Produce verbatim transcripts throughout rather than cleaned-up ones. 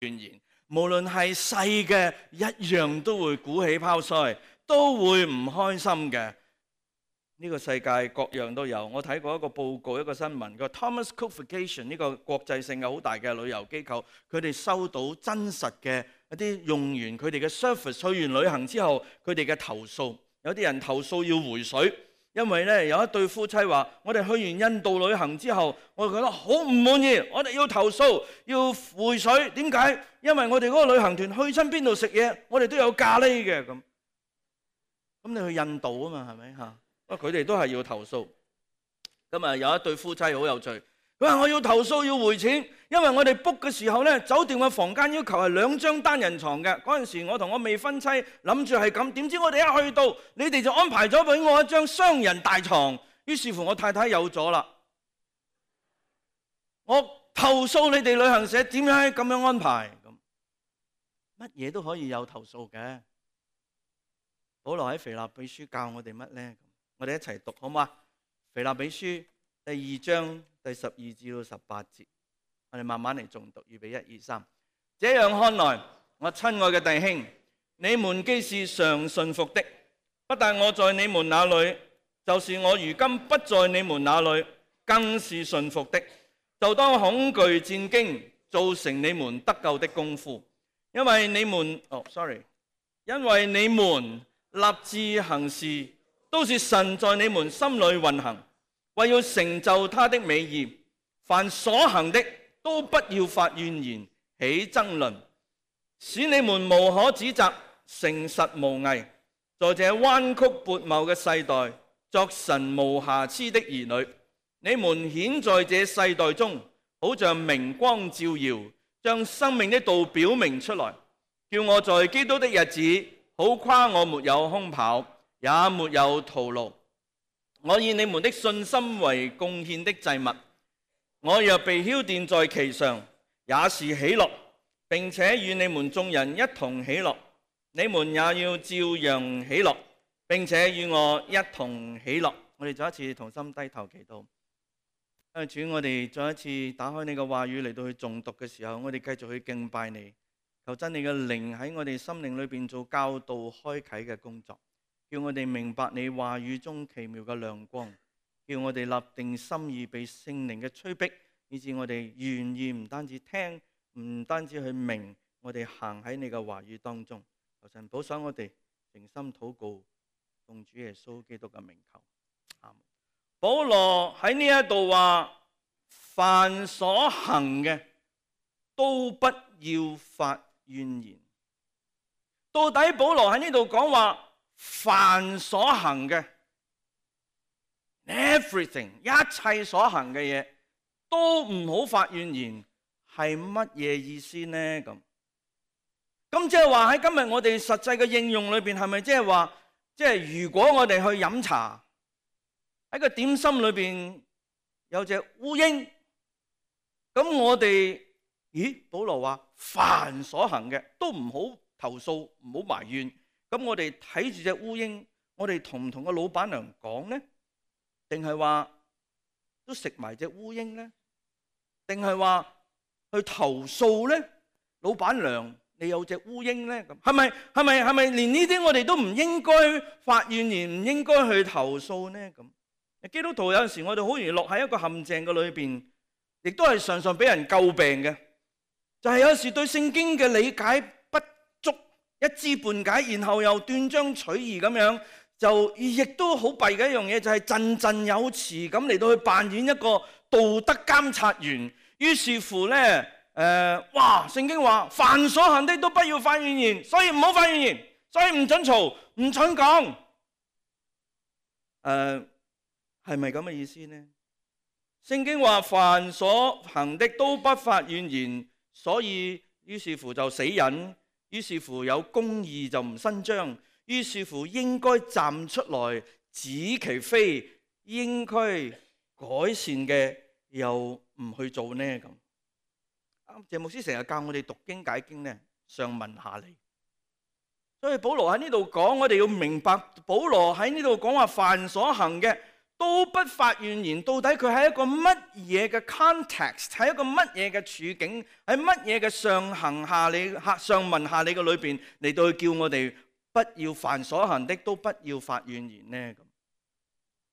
怨言，無論係細嘅一樣都會鼓起泡腮，都會唔開心嘅。呢個世界各樣都有。我睇過一個報告，一個新聞，個 Thomas Cook Vacation 呢個國際性嘅好大嘅旅遊機構，佢哋收到真實嘅一啲用完佢哋嘅 service 去完旅行之後，佢哋嘅投訴。有啲人投訴要回水，因為咧有一對夫妻話：我哋去完印度旅行之後，我哋覺得好唔滿意，我哋要投訴，要回水。點解？因為我哋嗰個旅行團去親邊度食嘢，我哋都有咖喱嘅咁。咁你去印度啊嘛，係咪嚇？佢哋都係要投訴。今日有一對夫妻好有趣，佢話我要投訴要回錢，因為我哋 book 嘅時候呢，酒店嘅房間要求係兩張單人床嘅。嗰陣時我同我未婚妻諗住係咁，點知我哋一去到，你哋就安排咗俾我一張雙人大床。於是乎我太太有咗啦，我投訴你哋旅行社點解咁樣安排？乜嘢都可以有投訴嘅。保羅喺腓立比書教我哋乜呢？我哋一齊讀好嗎？腓立比書第二章第十二至到十八節，我哋慢慢嚟誦讀。預備一二三。這樣看來，我親愛嘅弟兄，你們既是常順服的，不但我在你們那裏，就是我如今不在你們那裏，更是順服的。就當恐懼戰驚，造成你們得救的功夫，因為你們哦，sorry， 因為你們立志行事，都是神在你們心裏運行，為要成就他的美意。凡所行的，都不要發怨言，起爭論，使你們無可指責，誠實無偽，在這彎曲悖謬嘅世代，作神無瑕疵的兒女。你們顯在這世代中，好像明光照耀，將生命的道表明出來，叫我在基督的日子，好誇我沒有空跑，也沒有徒勞。我以你們的信心為貢獻的祭物，我若被澆奠在其上，也是喜樂，並且與你們眾人一同喜樂。你們也要照樣喜樂，並且與我一同喜樂。我哋再一次同心低頭祈禱。主，我哋再一次打開你嘅話語嚟到去誦讀嘅時候，我哋繼續去敬拜你，求真你嘅靈喺我哋心靈裏邊做教導開啟嘅工作，叫我哋明白你話語中奇妙嘅亮光，叫我哋立定心意被聖靈嘅催逼，以致我哋願意唔單止聽，唔單止去明，我哋行喺你嘅話語當中。求神保守我哋，誠心禱告，奉主耶穌基督嘅名求，阿們。保羅喺呢一度話，凡所行嘅都不要發怨言。到底保羅喺呢度講話，凡所行嘅 everything 一切所行嘅嘢都唔好發怨言，係乜嘢意思呢？咁咁即係話喺今日我哋實際嘅應用裏邊，係咪即係話，即係如果我哋去飲茶，喺個點心裏邊有隻烏蠅，咁我哋，咦？保羅話凡所行嘅都唔好投訴，唔好埋怨。咁我哋睇住隻烏蠅，我哋同唔同個老闆娘講呢？定係話都食埋隻烏蠅呢？定係話去投訴呢？老闆娘，你有隻烏蠅呢？咁係咪係咪係咪連呢啲我哋都唔應該發怨言，唔應該去投訴呢？咁基督徒有陣時我哋好容易落喺一個陷阱嘅裏邊，亦都係常常俾人詬病嘅，就係有時對聖經嘅理解不足，一知半解，然後又斷章取義咁樣，就亦都好弊嘅一樣嘢，就係振振有詞咁嚟到去扮演一個道德監察員。於是乎呢，誒、呃，哇！聖經話凡所行的都不要發怨言，所以唔好發怨言，所以唔准嘈，唔准講。誒、呃。係咪咁嘅意思呢？聖經話凡所行的都不發怨言，所以於是乎就死忍，於是乎有公義就唔伸張，於是乎應該站出來指其非，應該改善嘅又唔去做呢？咁謝牧師成日教我哋讀經解經呢，上文下理。所以保羅喺呢度講，我哋要明白保羅喺呢度講話凡所行嘅都不發怨言。到底佢喺一個乜嘢嘅 context， 喺一個乜嘢嘅處境，喺乜嘢嘅上行下理、上文下理嘅裏邊嚟到去叫我哋不要凡所行的都不要發怨言呢？咁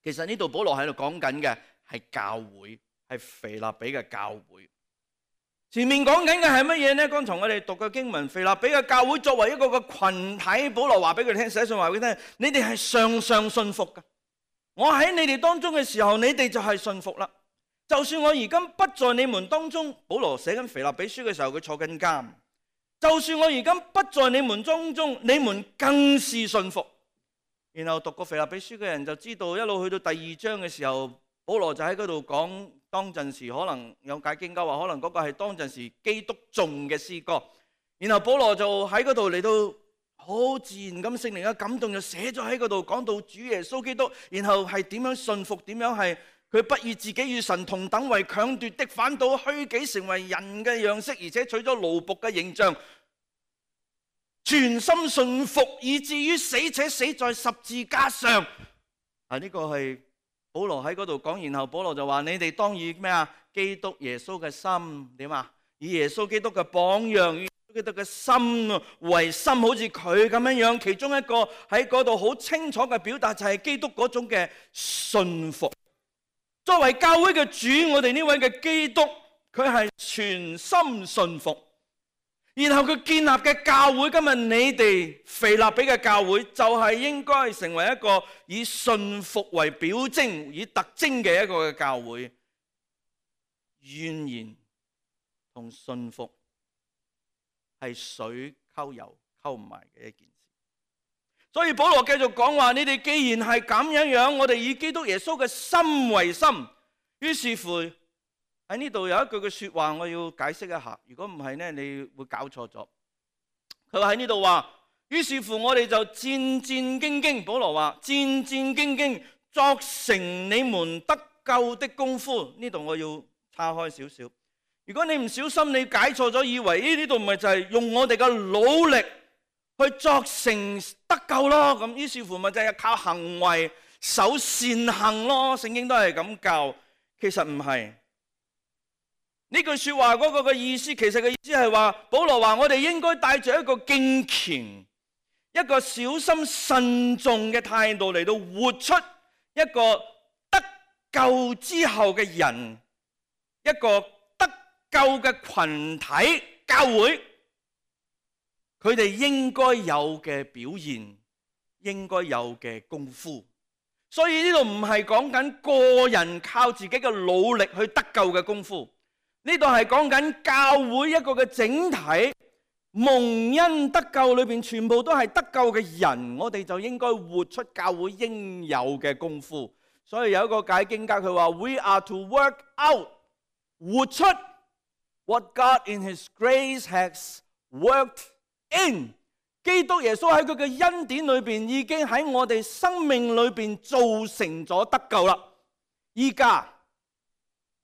其實呢度保羅喺度講緊嘅係教會，係腓立比嘅教會。前面講緊嘅係乜嘢呢？剛才我哋讀嘅經文，腓立比嘅教會作為一個嘅群體，保羅話俾佢聽，寫信話俾佢聽，你哋係常常信服嘅。我喺你哋當中嘅時候，你哋就係信服啦。就算我而今不在你們當中，保羅寫緊腓立比書嘅時候，佢坐緊監。就算我而今不在你們當中，你們更是信服。然後讀過腓立比書嘅人就知道，一路去到第二章嘅時候，保羅就喺嗰度講，當陣時可能有解經家話，可能嗰個係當陣時基督頌嘅詩歌。然後保羅就喺嗰度嚟到好自然咁，聖靈嘅感動就寫咗喺嗰度，講到主耶穌基督，然後係點樣信服，點樣係佢不以自己與神同等為強奪的，反倒虛己成為人嘅樣式，而且取咗奴僕嘅形象，全心信服，以至於死，且死在十字架上。啊，呢個係保羅喺嗰度講，然後保羅就話：你哋當以咩啊？基督耶穌嘅心點啊？以耶穌基督嘅榜樣，以耶穌基督嘅心為心，好似佢咁樣樣。其中一個喺嗰度好清楚嘅表達就係基督嗰種嘅信服。作為教會嘅主，我哋呢位嘅基督，佢係全心信服。然後佢建立嘅教會，今日你哋腓立比嘅教會，就係應該成為一個以信服為表徵、以特徵嘅一個嘅教會。怨言同信服係水溝油溝唔埋嘅一件事。所以保羅繼續講話：你哋既然係咁樣樣，我哋以基督耶穌嘅心為心。於是乎，喺呢度有一句嘅說話，我要解釋一下。如果唔係呢，你會搞錯咗。佢話喺呢度話，於是乎我哋就戰戰兢兢。保羅話戰戰兢兢，作成你們得救的功夫。呢度我要岔開少少。如果你唔小心，你解錯咗，以為呢度唔係就係用我哋嘅努力去作成得救咯。咁於是乎咪就係靠行為守善行咯。聖經都係咁教，其實唔係。呢句說話嗰個嘅意思，其實嘅意思係話，保羅話我哋應該帶着一個敬虔、一個小心慎重嘅態度嚟到活出一個得救之後嘅人，一個得救嘅群體教會，佢哋應該有嘅表現，應該有嘅功夫。所以呢度唔係講緊個人靠自己嘅努力去得救嘅功夫。呢度係講緊教會一個嘅整體，蒙恩得救裏邊全部都係得救嘅人，我哋就應該活出教會應有嘅功夫。所以有一個解經家佢話 ：We are to work out， 活出 what God in His grace has worked in。基督耶穌喺佢嘅恩典裏邊已經喺我哋生命裏邊造成咗得救啦。依家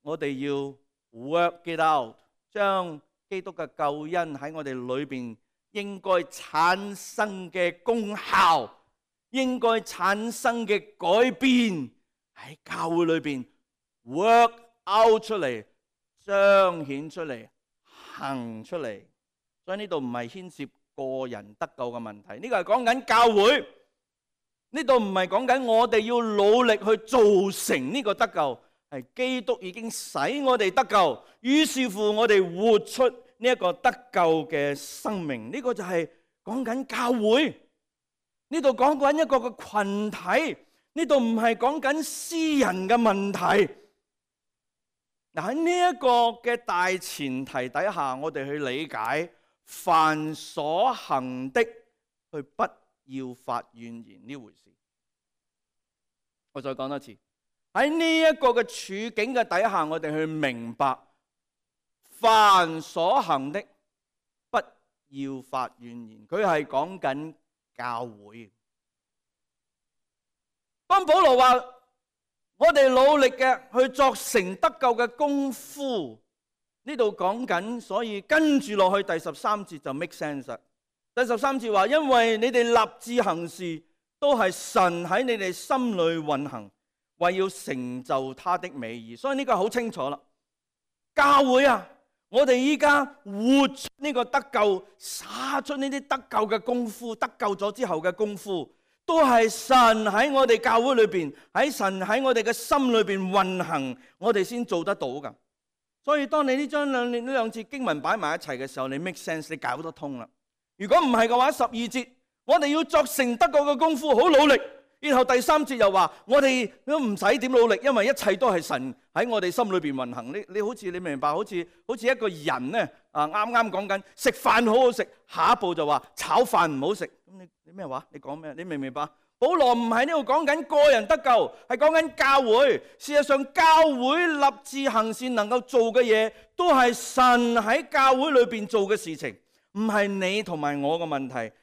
我哋要work it out， 將基督嘅救恩喺我哋裏邊應該產生嘅功效，應該產生嘅改變喺教會裏邊 work out 出嚟，彰顯出嚟，行出嚟。所以呢度唔係牽涉個人得救嘅問題，呢個係講緊教會。呢度唔係講緊我哋要努力去造成呢個得救。係基督已經使我哋得救，於是乎我哋活出呢一個得救嘅生命。呢個就係講緊教會。呢度講緊一個嘅群體，呢度唔係講緊私人嘅問題。嗱，喺呢一個嘅大前提底下，我哋去理解凡所行的，去不要發怨言呢回事。我再講多次。喺呢一個嘅處境嘅底下，我哋去明白凡所行的不要發怨言。佢係講緊教會。當保羅話我哋努力嘅去作成得救嘅功夫，呢度講緊，所以跟住落去第十三節就 make sense。第十三節話，因為你哋立志行事都係神喺你哋心裏運行，為要成就他的美意。所以呢個好清楚啦。教會啊，我哋依家活出呢個得救，灑出呢啲得救嘅功夫，得救咗之後嘅功夫，都係神喺我哋教會裏邊，喺神喺我哋嘅心裏邊運行，我哋先做得到噶。所以當你呢張兩呢兩節經文擺埋一齊嘅時候，你 make sense， 你搞得通啦。如果唔係嘅話，十二節我哋要作成得救嘅功夫，好努力。然後第三節又話我哋都唔使點努力，因為一切都係神喺我哋心裏邊運行。你你好似你明白，好似好似一個人咧啊，啱啱講緊食飯好好食，下一步就話炒飯唔好食。咁你你咩話？你講咩？你明唔明白？保羅唔係呢度講緊個人得救，係講緊教會。事實上，教會立志行善能夠做嘅嘢，都係神喺教會裏邊做嘅事情，唔係你同埋我嘅問題。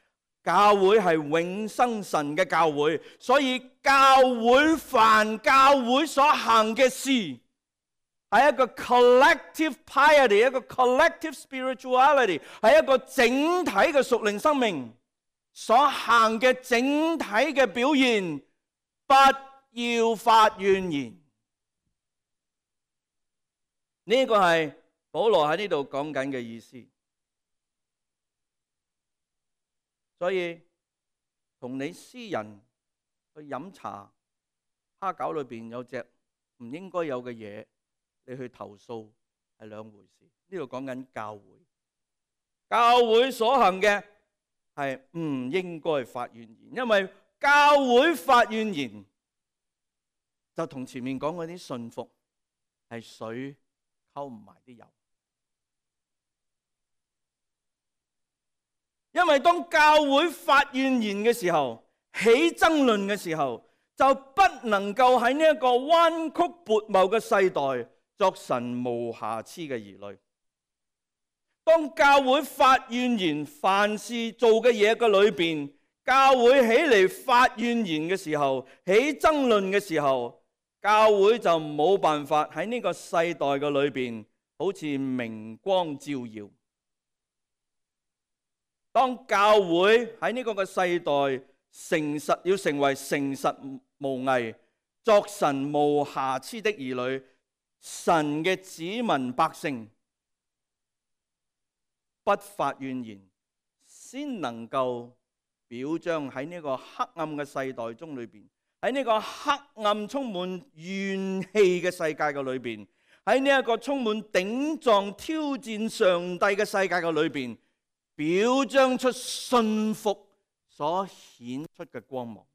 教會係永生神嘅教會，所以教會凡教會所行嘅事，係一個 collective piety， 一個 collective spirituality， 係一個整體嘅屬靈生命所行嘅整體嘅表現。不要發怨言，呢個係保羅喺呢度講緊嘅意思。所以同你私人去飲茶，蝦餃裏邊有隻唔應該有嘅嘢，你去投訴係兩回事。呢度講緊教會，教會所行嘅係唔應該發怨言，因為教會發怨言就同前面講嗰啲順服係水溝唔埋啲油。因為當教會發怨言嘅時候，起爭論嘅時候，就不能夠喺呢一個彎曲悖謬嘅世代作神無瑕疵嘅兒女。當教會發怨言，凡事做嘅嘢嘅裏邊，教會起嚟發怨言嘅時候，起爭論嘅時候，教會就冇辦法喺呢個世代嘅裏邊好似明光照耀。當教會喺呢個嘅世代誠實，要成為誠實無偽、作神無瑕疵的兒女，神嘅子民百姓，不發怨言，先能夠表彰喺呢個黑暗嘅世代中裏邊，喺呢個黑暗充滿怨氣嘅世界嘅裏邊，喺呢一個充滿頂撞挑戰上帝嘅世界嘅裏邊，表彰出信服所顯出嘅光芒。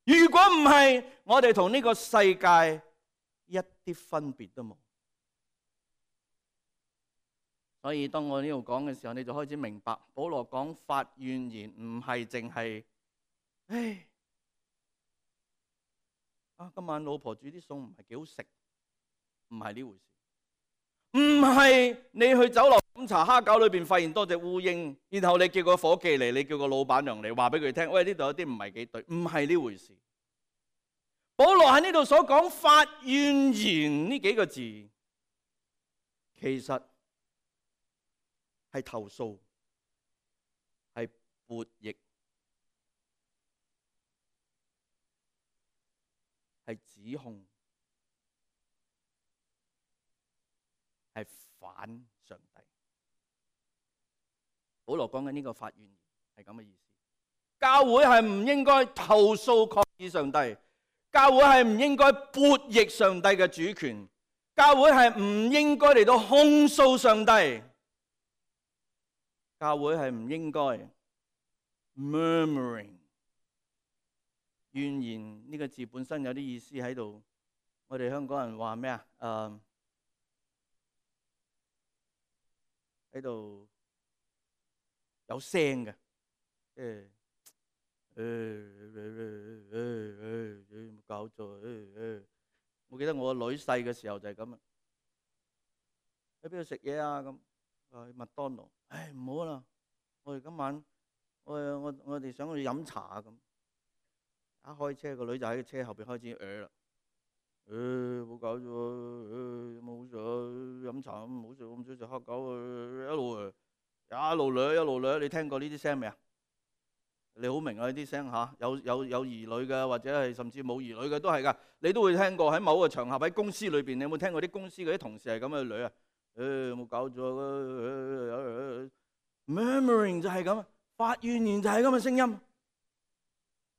如果唔係，我哋同呢個世界一啲分別都冇。所以當我呢度講嘅時候，你就開始明白，保羅講發怨言唔係淨係，唉，啊今晚老婆煮啲餸唔係幾好食，唔係呢回事。唔係你去酒樓飲茶蝦餃裏邊發現多隻烏蠅，然後你叫個伙計嚟，你叫個老闆娘嚟話俾佢聽，喂，呢度有啲唔係幾對，唔係呢回事。保羅喺呢度所講發怨言呢幾個字，其實係投訴，係悖逆，係指控，係反上帝。保羅講緊呢個發怨言係咁嘅意思。教會係唔應該投訴抗議上帝，教會係唔應該悖逆上帝嘅主權，教會係唔應該嚟到控訴上帝，教會係唔應該 murmuring。怨言呢個字本身有啲意思喺度，我哋香港人話咩啊？誒喺度有聲嘅，即係誒誒誒誒誒冇搞錯誒誒。我記得我個女細嘅時候就係咁啊，喺邊度食嘢啊？咁啊去麥當勞，唉唔好啦，我哋今晚我我我哋想去飲茶啊咁。一開車個女就喺個車後邊開始呃啦，誒冇搞錯，誒冇咗飲茶唔好食，咁少食黑狗，一路誒一路掠一路掠，你聽過呢啲聲未啊？你好明啊，呢啲聲嚇，有有有兒女嘅，或者係甚至冇兒女嘅都係㗎。你都會聽過喺某個場合喺公司裏邊，你有冇聽過啲公司嗰啲同事係咁嘅女啊？誒有冇搞錯？Murmuring 就係咁，發怨言就係咁嘅聲音。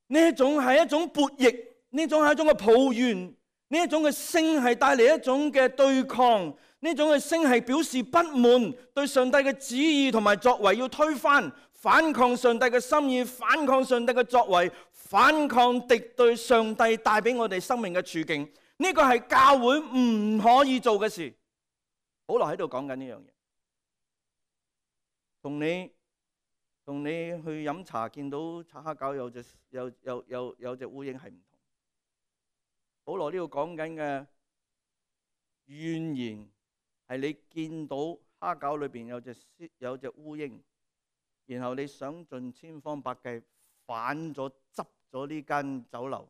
呢一種係一種悖逆，呢種係一種嘅抱怨，呢一種嘅聲係帶嚟一種嘅對抗，呢種嘅聲係表示不滿，對上帝嘅旨意同埋作為要推翻。反抗上帝嘅心意，反抗上帝嘅作為，反抗敵對上帝帶俾我哋生命嘅處境，呢個係教會唔可以做嘅事。保羅喺度講緊呢樣嘢，同你同你去飲茶見到擦黑狗有隻有有有有隻烏蠅係唔同。保羅呢度講緊嘅怨言係你見到蝦餃裏邊有隻有隻烏蠅。然後你想盡千方百計反咗執咗呢間酒樓，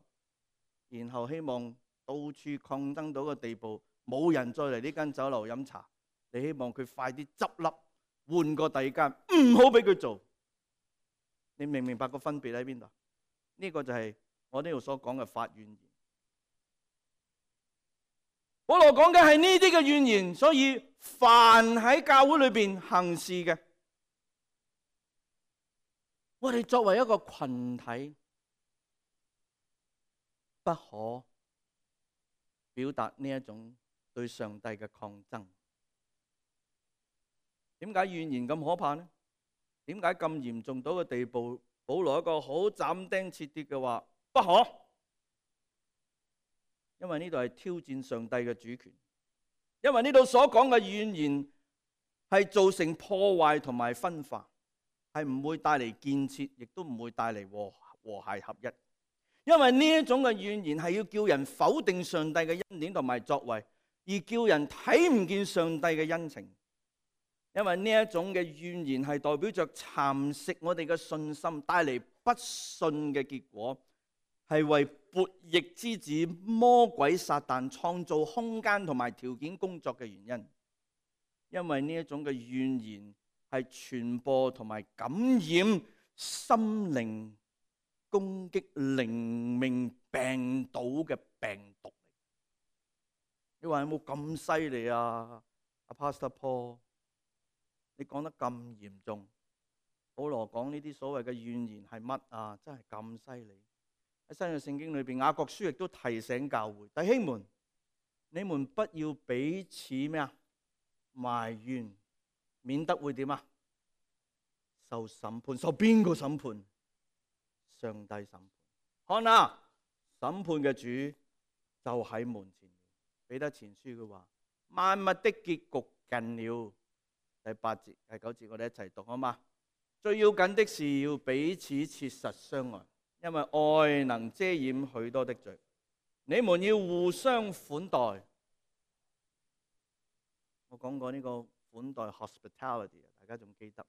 然後希望到處抗爭到個地步，冇人再嚟呢間酒樓飲茶。你希望佢快啲執笠，換個第二間，唔好俾佢做。你明唔明白個分別喺邊度？呢個就係我呢度所講嘅發怨言。保羅講嘅係呢啲嘅怨言，所以凡喺教會裏邊行事嘅，我哋作為一個群體，不可表達呢一種對上帝嘅抗爭。點解怨言咁可怕呢？點解咁嚴重到個地步？保羅一個好斬釘截鐵嘅話，不可，因為呢度係挑戰上帝嘅主權，因為呢度所講嘅怨言係造成破壞同埋分化。係唔會帶嚟建設，亦都唔會帶嚟和和諧合一。因為呢一種嘅怨言係要叫人否定上帝嘅恩典同埋作為，而叫人睇唔見上帝嘅恩情。因為呢一種嘅怨言係代表着蠶食我哋嘅信心，帶嚟不信嘅結果，係為悖逆之子魔鬼撒旦創造空間同埋條件工作嘅原因。因為呢一種嘅怨言係傳播同埋感染心靈、攻擊靈命病倒嘅病毒。你話有冇咁犀利啊？阿 Pastor Paul， 你講得咁嚴重，保羅講呢啲所謂嘅怨言係乜啊？真係咁犀利！喺新約聖經裏邊，雅各書亦都提醒教會弟兄們，你們不要彼此咩啊埋怨，免得會點啊？受審判，受邊個審判？上帝審判。看啊，審判嘅主就喺門前。彼得前書嘅話，萬物的結局近了。第八節、第九節，我哋一齊讀好嘛？最要緊的是要彼此切實相愛，因為愛能遮掩許多的罪。你們要互相款待。我講過呢個款待 hospitality， 大家仲記得？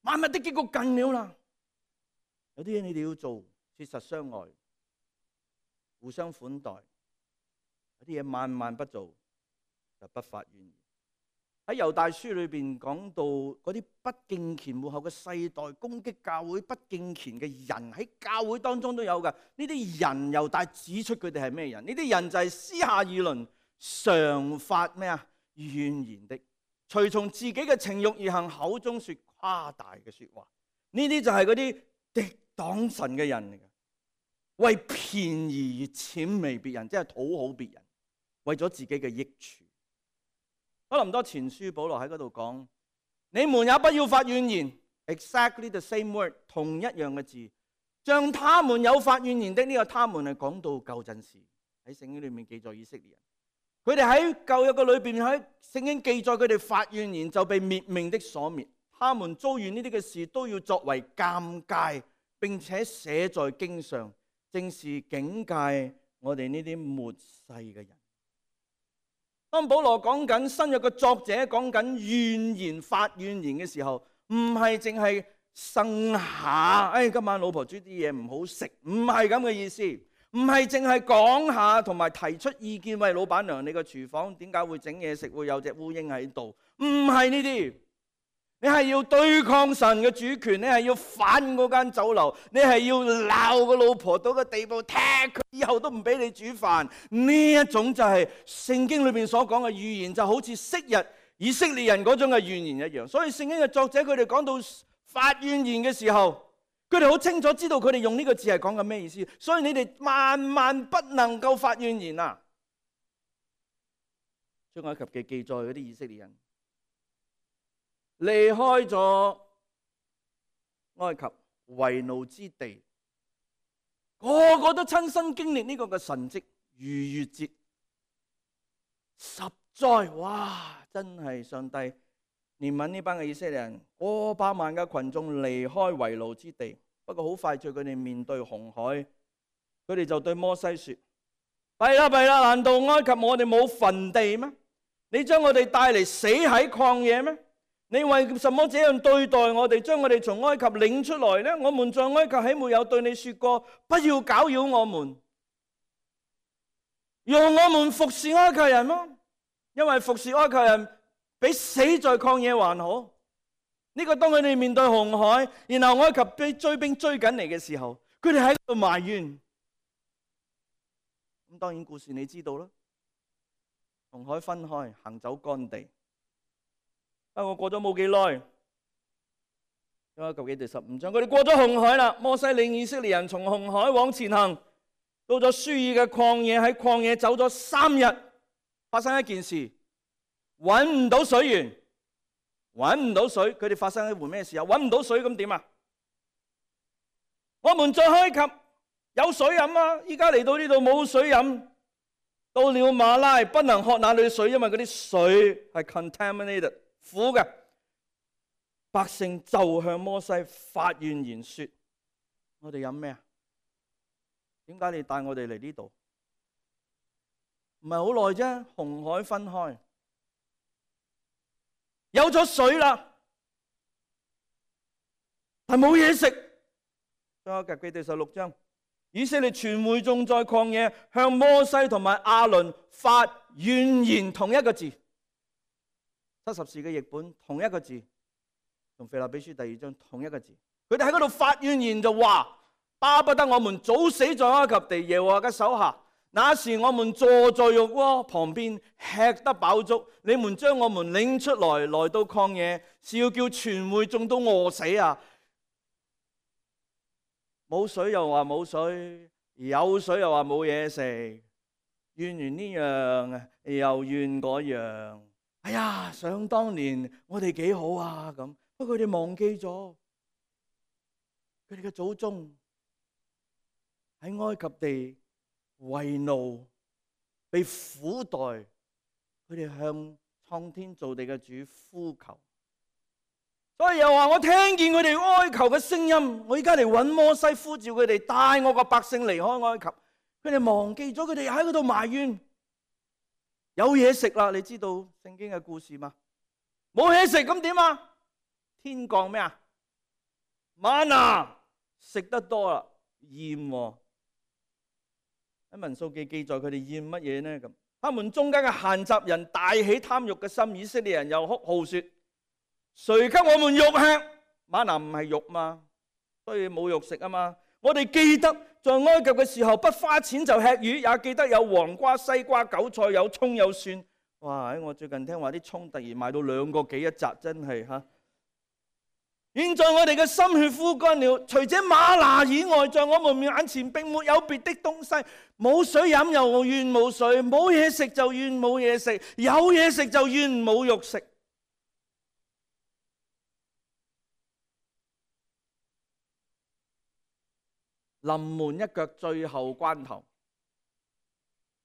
萬物的結局近了啦，有啲嘢你哋要做，切實相愛，互相款待。有啲嘢萬萬不做，就不發怨言。喺猶大書裏邊講到嗰啲不敬虔末後嘅世代攻擊教會不敬虔嘅人，喺教會當中都有噶。呢啲人猶大指出佢哋係咩人？呢啲人就係私下議論、常發咩啊怨言的，隨從自己嘅情慾而行，口中說誇大嘅說話。呢啲就係嗰啲敵擋神嘅人嚟嘅，為便宜而諂媚別人，即係討好別人，為咗自己嘅益處。哥林多前書保羅喺嗰度講，你們也不要發怨言 ，exactly the same word， 同一樣嘅字，像他們有發怨言的。呢個他們係講到舊陣時喺聖經裏面記載以色列人，佢哋喺舊約嘅裏邊喺聖經記載佢哋發怨言就被滅命的所滅。他們遭遇呢啲嘅事都要作為鑑戒，並且寫在經上，正是警戒我哋呢啲末世嘅人。當保羅講緊新約嘅作者講緊怨言發怨言嘅時候，唔係淨係呻下，哎，今晚老婆煮啲嘢唔好食，唔係咁嘅意思，唔係淨係講下同埋提出意見，喂，老闆娘，你個廚房點解會整嘢食，會有隻烏蠅喺度？唔係呢啲，你係要對抗神嘅主權，你係要反嗰間酒樓，你係要鬧個老婆到個地步，踢佢以後都唔俾你煮飯。呢一種就係聖經裏邊所講嘅預言，就好似昔日以色列人嗰種嘅預言一樣。所以聖經嘅作者佢哋講到發怨言嘅時候，佢哋好清楚知道佢哋用呢個字係講緊咩意思。所以你哋萬萬不能夠發怨言啊！出埃及記記載嗰啲以色列人離開咗埃及為奴之地，個個都親身經歷呢個嘅神蹟逾越節十災。哇！真係上帝憐憫呢班嘅以色列人，過百萬嘅群眾離開為奴之地。不過好快脆，佢哋面對紅海，佢哋就對摩西說：弊啦弊啦，難道埃及我哋冇墳地咩？你將我哋帶嚟死喺曠野咩？你為什麼這樣對待我哋，將我哋從埃及領出來呢？我們在埃及豈沒有對你說過，不要攪擾我們，讓我們服侍埃及人嗎？因為服侍埃及人比死在曠野還好。呢個當佢哋面對紅海，然後埃及被追兵追緊嚟嘅時候，佢哋喺度埋怨。咁當然故事你知道啦，紅海分開，行走乾地。不過過咗冇幾耐，埃及記第十五章，佢哋過咗紅海啦。摩西領以色列人從紅海往前行，到咗舒爾嘅曠野，喺曠野走咗三日，發生一件事，搵唔到水源，搵唔到水。佢哋發生一回咩事啊？搵唔到水咁點啊？我們在埃及有水飲啊，依家嚟到呢度冇水飲。到了馬拉不能喝那裏的水，因為嗰啲水係 contaminated 苦嘅。百姓就向摩西發怨言說：我哋飲咩啊？點解你帶我哋嚟呢度？唔係好耐啫，紅海分開，有咗水啦，但冇嘢食。出埃及記第十六章，以色列全會眾在曠野向摩西同埋亞倫發怨言，同一個字，七十士嘅譯本同一個字，同腓立比書第二章同一個字。佢哋喺嗰度發怨言就話：巴不得我們早死在埃及地耶和華嘅手下，那時我們坐在肉鍋旁邊吃得飽足，你們將我們領出來，來到曠野，是要叫全會眾都餓死啊！冇水又話冇水，有水又話冇嘢食，怨完呢樣又怨嗰樣。哎呀，想當年我哋幾好啊咁，不過佢哋忘記咗，佢哋嘅祖宗喺埃及地為奴，被苦待，佢哋向創天造地嘅主呼求。所以又話我聽見佢哋哀求嘅聲音，我而家嚟揾摩西呼召佢哋帶我個百姓離開埃及。佢哋忘記咗，佢哋喺嗰度埋怨。有嘢食啦，你知道聖經嘅故事嗎？冇嘢食咁點啊？天降咩啊？嗎哪，食得多啦，厭喎。喺民數記記載佢哋厭乜嘢呢？咁他們中間嘅閒雜人大起貪欲嘅心，以色列人又哭號說：誰給我們肉吃？嗎哪唔係肉嘛，所以冇肉食啊嘛。我哋記得在埃及嘅時候，不花錢就吃魚，也記得有黃瓜、西瓜、韭菜，有蔥有蒜。哇！我最近聽話啲蔥突然賣到兩個幾一紮，真係嚇。現在我哋嘅心血枯乾了，除這嗎哪以外，在我們眼前並沒有別的東西。冇水飲又怨冇水，冇嘢食就怨冇嘢食，有嘢食就怨冇肉食。臨門一腳，最後關頭，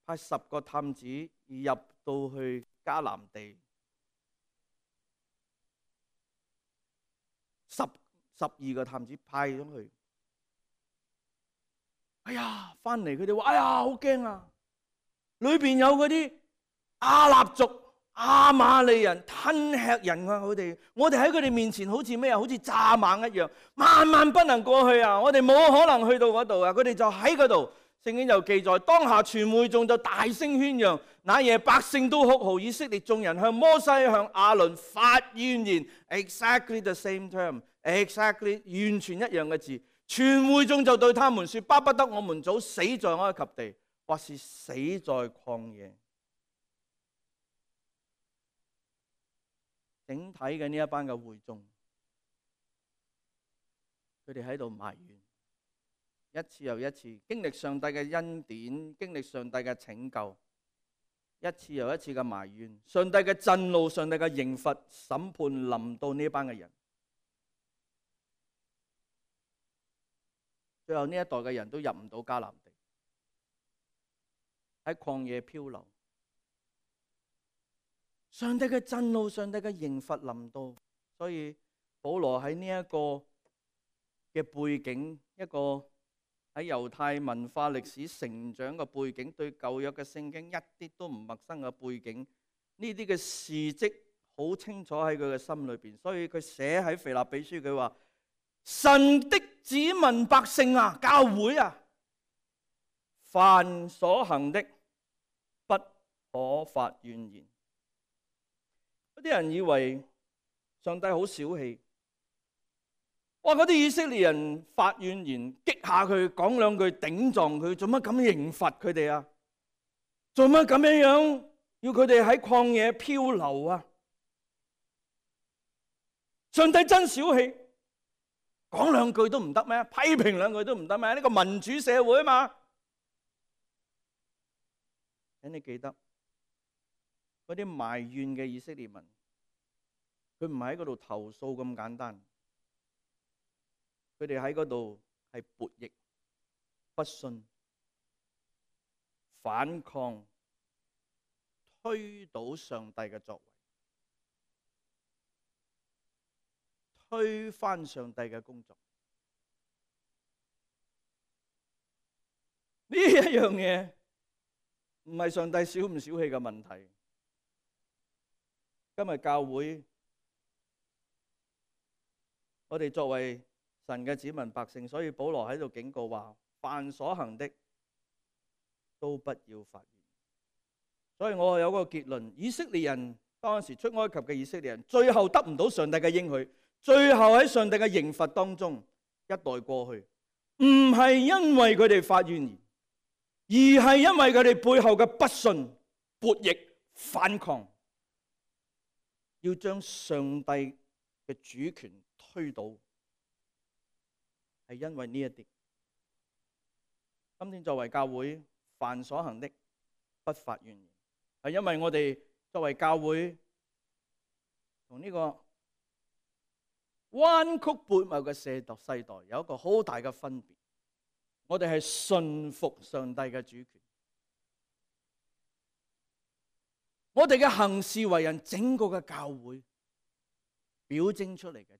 派十個探子入到去迦南地，十十二個探子派咗去。哎呀，翻嚟佢哋話：哎呀，好驚啊！裏邊有嗰啲亞納族、亞瑪利人吞吃人啊！佢哋，我哋喺佢哋面前好似咩啊？好似蚱蜢一樣，萬萬不能過去啊！我哋冇可能去到嗰度啊！佢哋就喺嗰度聖經就記載，當下全會眾就大聲喧嚷，那夜百姓都哭號，以色列眾人向摩西向亞倫發怨言 ，exactly the same term，exactly 完全一樣嘅字。全會眾就對他們說：巴不得我們早死在埃及地，或是死在曠野。整體嘅呢一班嘅會眾，佢哋喺度埋怨。一次又一次經歷上帝嘅恩典，經歷上帝嘅拯救，一次又一次嘅埋怨，上帝嘅震怒，上帝嘅刑罰審判臨到呢班嘅人。最後呢一代嘅人都入唔到迦南地，喺曠野漂流。上帝嘅震怒，上帝嘅刑罰臨到，所以保羅喺呢一個嘅背景，一個喺猶太文化歷史成長嘅背景，對舊約嘅聖經一啲都唔陌生嘅背景，呢啲嘅事蹟好清楚喺佢嘅心裏邊，所以佢寫喺腓立比書，佢話：神的子民百姓啊，教會啊，凡所行的不可發怨言。有啲人以為上帝好小氣。哇！嗰啲以色列人發怨言，激下佢，講兩句頂撞佢，做乜咁刑罰佢哋啊？做乜咁樣樣要佢哋喺曠野漂流啊？上帝真小氣，講兩句都唔得咩？批評兩句都唔得咩？呢個民主社會啊嘛。請你記得，嗰啲埋怨嘅以色列民，佢唔係喺嗰度投訴咁簡單。佢哋喺嗰度係悖逆、不信、反抗、推倒上帝嘅作為，推翻上帝嘅工作。呢一樣嘢唔係上帝小唔小氣嘅問題。今日教會，我哋作為神嘅子民百姓，所以保羅喺度警告話：凡所行的都不要發怨。所以我有個結論：以色列人當時出埃及嘅以色列人，最後得唔到上帝嘅應許，最後喺上帝嘅刑罰當中一代過去，唔係因為佢哋發怨言，而係因為佢哋背後嘅不信、悖逆、反抗，要將上帝嘅主權推倒。係因為呢一啲，今天作為教會，凡所行的不發怨言，係因為我哋作為教會同呢個彎曲悖謬嘅世代世代有一個好大嘅分別。我哋係順服上帝嘅主權，我哋嘅行事為人，整個嘅教會表徵出嚟嘅。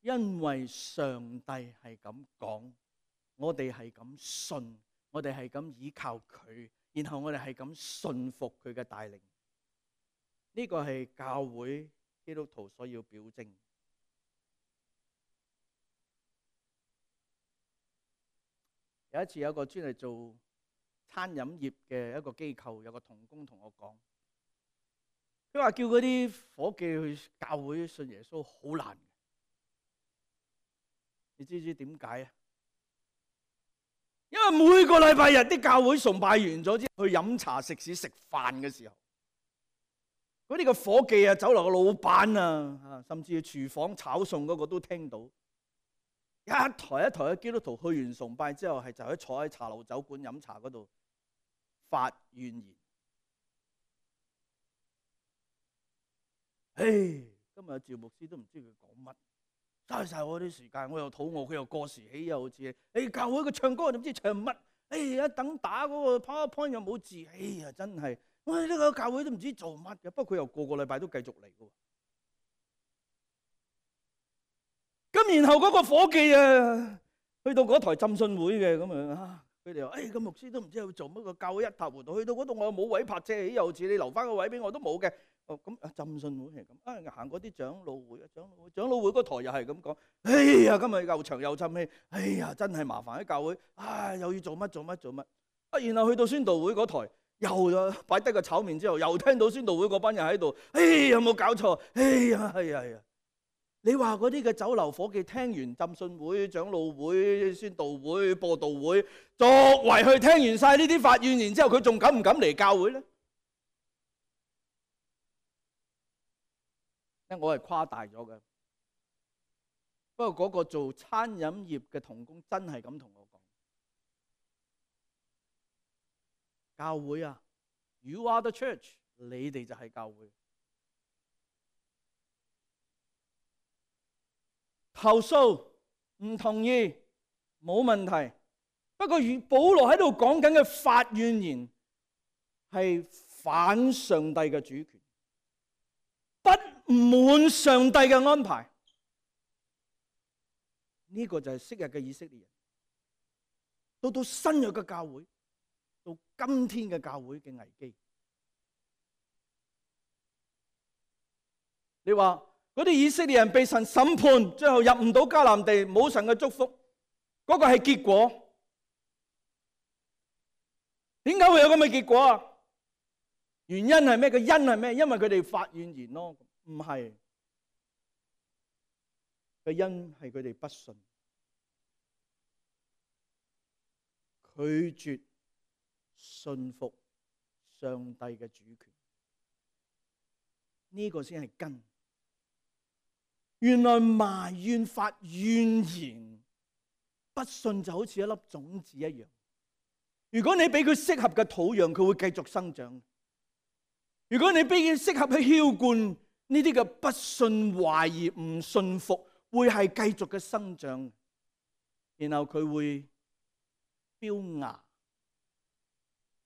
因為上帝係咁講，我哋係咁信，我哋係咁依靠佢，然後我哋係咁信服佢嘅帶領。呢個係教會基督徒所要表徵。有一次有一個專係做餐飲業嘅一個機構，有個同工同我講，佢話叫嗰啲夥計去教會信耶穌好難。你知唔知點解啊？因為每個禮拜日啲教會崇拜完咗之後，去飲茶食肆食飯嘅時候，嗰啲個伙計啊、酒樓嘅老闆啊，甚至廚房炒餸嗰個都聽到，一台一台嘅基督徒去完崇拜之後，係就喺坐喺茶樓酒館飲茶嗰度發怨言。唉，今日趙牧師都唔知佢講乜。嘥晒我啲時間，我又肚餓，佢又過時起，又好似誒教會佢唱歌，都唔知唱乜，誒一等打嗰個 PowerPoint 又冇字，哎呀真係，我哋呢個教會都唔知做乜嘅。不過佢又個個禮拜都繼續嚟嘅。咁然後嗰個伙計啊，去到嗰台浸信會嘅咁樣啊，佢哋話：誒個牧師都唔知要做乜，個教會一塌糊塗，去到嗰度我又冇位泊車，又好似你留翻個位俾我都冇嘅。哦咁啊，浸信會係咁啊，行嗰啲長老會啊，長老會長老會嗰台又係咁講。哎呀，今日又長又浸氣，哎呀，真係麻煩喺教會，啊又要做乜做乜做乜啊，然後去到宣道會嗰台。又擺低個炒麵之後，又聽到宣道會嗰班人喺度，哎有冇搞錯？哎呀係啊係啊！你話嗰啲嘅酒樓伙計聽完浸信會、長老會、宣道會、播道會，作為去聽完晒呢啲發怨言之後，佢仲敢唔敢嚟教會咧？我係誇大咗嘅，不過嗰個做餐飲業嘅同工真係咁同我講。教會啊 ，You are the church， 你哋就係教會。投訴唔同意冇問題，不過與保羅喺度講緊嘅發怨言係反上帝嘅主權，不滿上帝嘅安排。呢、這個就係昔日嘅以色列人，到到新約嘅教會。到今天嘅教會嘅危機，你話嗰啲以色列人被神審判，最後入唔到迦南地，冇神嘅祝福，嗰個係結果。點解會有咁嘅結果啊？原因係咩？個因係咩？因為佢哋發怨言咯，唔係。個因係佢哋不信，拒絕信服上帝嘅主權，呢個先係根。原來埋怨發怨言，不信就好似一粒種子一樣。如果你俾佢適合嘅土壤，佢會繼續生長。如果你俾佢適合去澆灌，呢啲嘅不信、懷疑、唔信服，會係繼續嘅生長，然後佢會飆芽。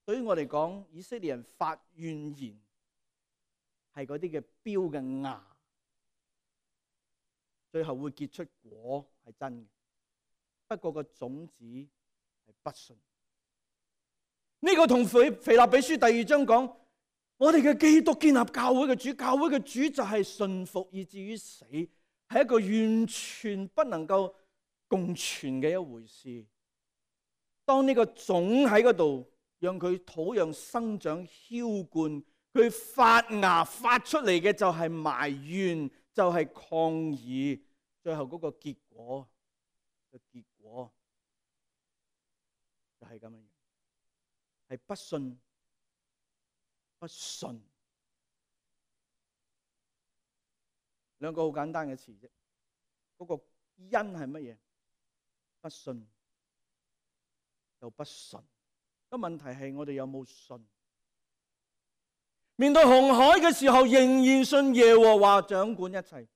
對於我嚟講，以色列人發怨言係嗰啲嘅標嘅芽，最後會結出果係真嘅。不過個種子係不信。呢、這個同腓腓立比書第二章講，我哋嘅基督建立教會嘅主，教會嘅主就係信服以至於死，係一個完全不能夠共存嘅一回事。當呢個種喺嗰度，讓佢土壤生長澆灌，佢發芽發出嚟嘅就係埋怨，就係抗議，最後嗰個結果嘅結果就係咁樣，係不信不信。兩個好簡單嘅詞啫，嗰個因係乜嘢？不信就不信。個問題係我哋有冇信？面對紅海嘅時候，仍然信耶和華掌管一切；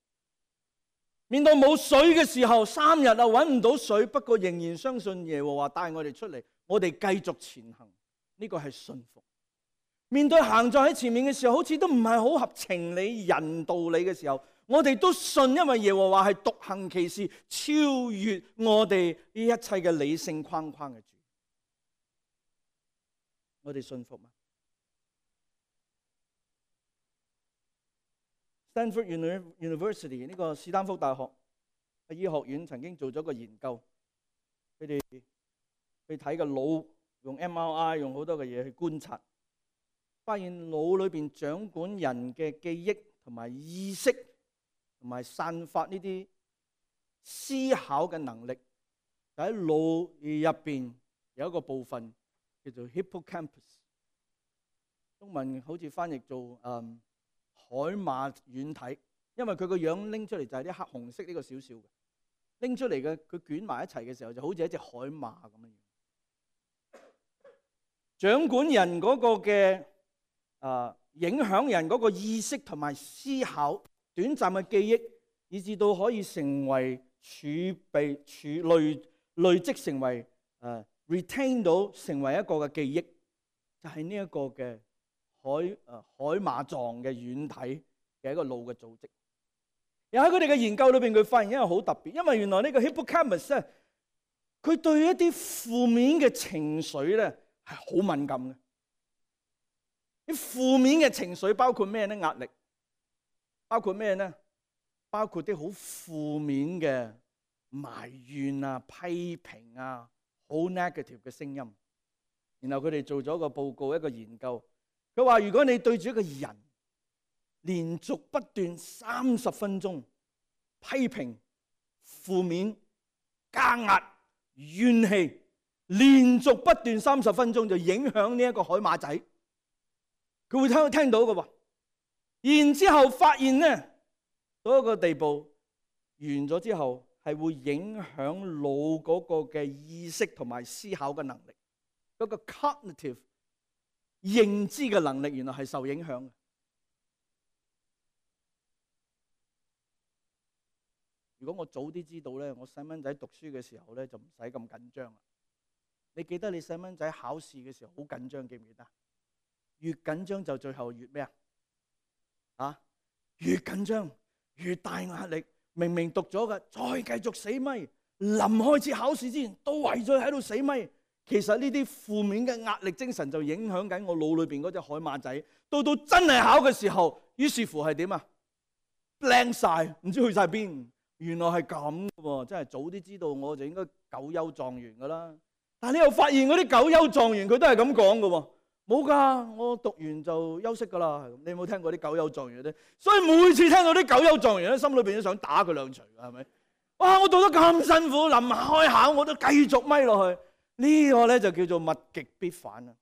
面對冇水嘅時候，三日啊搵唔到水，不過仍然相信耶和華帶我哋出嚟，我哋繼續前行。呢個係信服。面對行在喺前面嘅時候，好似都唔係好合情理、人道理嘅時候，我哋都信，因為耶和華係獨行其事，超越我哋呢一切嘅理性框框嘅主。我哋信服嗎？ Stanford University 呢個斯坦福大學嘅醫學院曾經做咗個研究，佢哋去睇個腦，用 M R I 用好多嘅嘢去觀察，發現腦裏邊掌管人嘅記憶同埋意識，同埋散發呢啲思考嘅能力，就喺腦入邊有一個部分叫做 hippocampus， 中文好似翻譯做嗯海馬軟體，因為佢個樣拎出嚟就係啲黑紅色呢個少少嘅，拎出嚟嘅佢捲埋一齊嘅時候就好似一隻海馬咁樣，掌管人嗰個嘅啊影響人嗰個意識同埋思考，短暫嘅記憶，以至到可以成為儲備儲累累積成為誒 retain 到成為一個嘅記憶，就係呢一個嘅海誒海馬狀嘅軟體嘅一個腦嘅組織。又喺佢哋嘅研究裏邊，佢發現一樣好特別，因為原來呢個 hippocampus 咧，佢對一啲負面嘅情緒咧係好敏感嘅。啲負面嘅情緒包括咩咧？壓力。包括咩呢？包括啲好負面嘅埋怨啊、批評啊、好 negative 嘅聲音。然後佢哋做咗個報告，一個研究，佢話如果你對住一個人連續不斷三十分鐘批評、負面、加壓、怨氣，連續不斷三十分鐘就影響呢一個海馬仔，佢會聽聽到嘅喎。然之後發現呢，到一個地步完咗之後，係會影響腦嗰個嘅意識同埋思考嘅能力，嗰個 cognitive 認知嘅能力原來係受影響嘅。如果我早啲知道咧，我細蚊仔讀書嘅時候咧就唔使咁緊張啦。你記得你細蚊仔考試嘅時候好緊張，記唔記得？越緊張就最後越咩啊？啊，越緊張越大壓力。明明讀咗嘅，再繼續死咪。臨開始考試之前都為咗喺度死咪。其實呢啲負面嘅壓力精神就影響緊我腦裏邊嗰隻海馬仔。到到真係考嘅時候，於是乎係點啊？blank 晒，唔知去晒邊。原來係咁嘅喎，真係早啲知道我就應該九優狀元噶啦。但係你又發現嗰啲九優狀元佢都係咁講嘅喎，冇㗎，我讀完就休息㗎啦。你有冇聽過啲九優狀元咧？所以每次聽到啲九優狀元咧，心裏邊都想打佢兩錘㗎，係咪？哇！我讀得咁辛苦，臨開考我都繼續咪落去，呢個咧就叫做物極必反啊！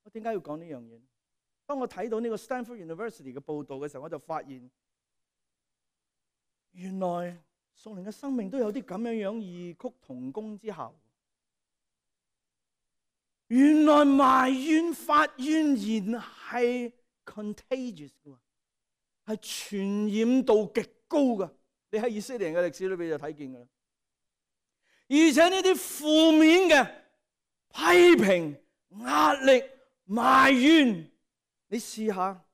我點解要講呢樣嘢？當我睇到呢個 Stanford University 嘅報導嘅時候，我就發現，原來屬靈嘅生命都有啲咁樣樣異曲同工之效。原來埋怨發怨言係 contagious 嘅，係傳染度極高嘅。你喺以色列人嘅歷史裏邊就睇見㗎啦。而且呢啲負面嘅批評、壓力、埋怨，你試下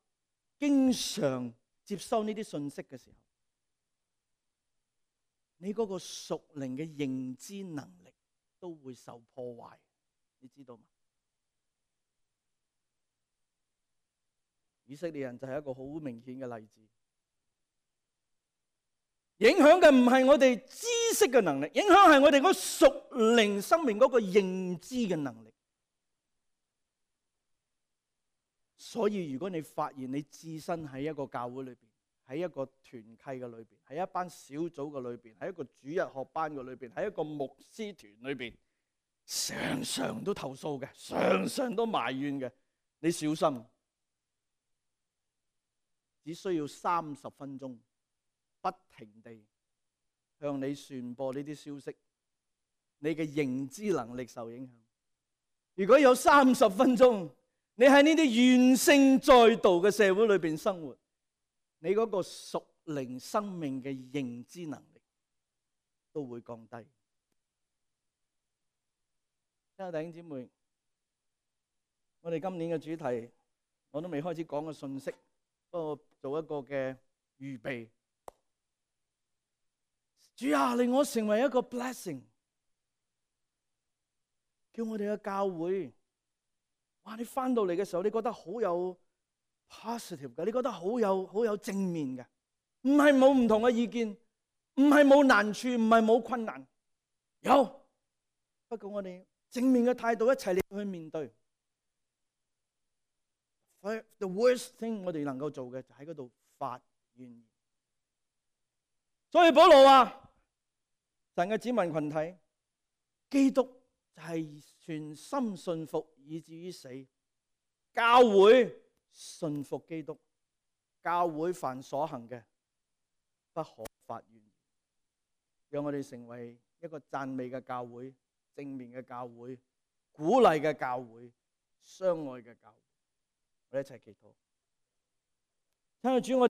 經常接收呢啲信息嘅時候，你嗰個屬靈嘅認知能力都會受破壞，你知道嗎？以色列人就係一個好明顯嘅例子。影響嘅唔係我哋知識嘅能力，影響係我哋嗰屬靈生命嗰個認知嘅能力。所以如果你發現你置身喺一個教會裏邊，喺一個團契嘅裏邊，喺一班小組嘅裏邊，喺一個主日學班嘅裏邊，喺一個牧師團裏邊，常常都投訴嘅，常常都埋怨嘅，你小心，只需要三十分鐘，不停地向你傳播呢啲消息，你嘅認知能力受影響。如果有三十分鐘，你喺呢啲怨聲載道嘅社會裏邊生活，你嗰個屬靈生命嘅認知能力都會降低。親愛的弟兄姊妹，我哋今年嘅主題我都未開始講嘅信息，不過做一個嘅預備。主啊，令我成為一個 blessing， 叫我哋嘅教會，哇！你翻到嚟嘅時候，你覺得好有 positive 嘅，你覺得好有好有正面嘅，唔係冇唔同嘅意見，唔係冇難處，唔係冇困難，有。不過我哋正面嘅態度一齊嚟去面對。The worst thing 我哋能夠做嘅就喺嗰度發怨言。所以保羅話：神嘅子民群體，基督就係全心信服以至於死。教會信服基督，教會凡所行嘅不可發怨言。讓我哋成為一個讚美嘅教會，正面嘅教會，鼓勵嘅教會，相愛嘅教會。我哋一齊祈禱。親愛的主，我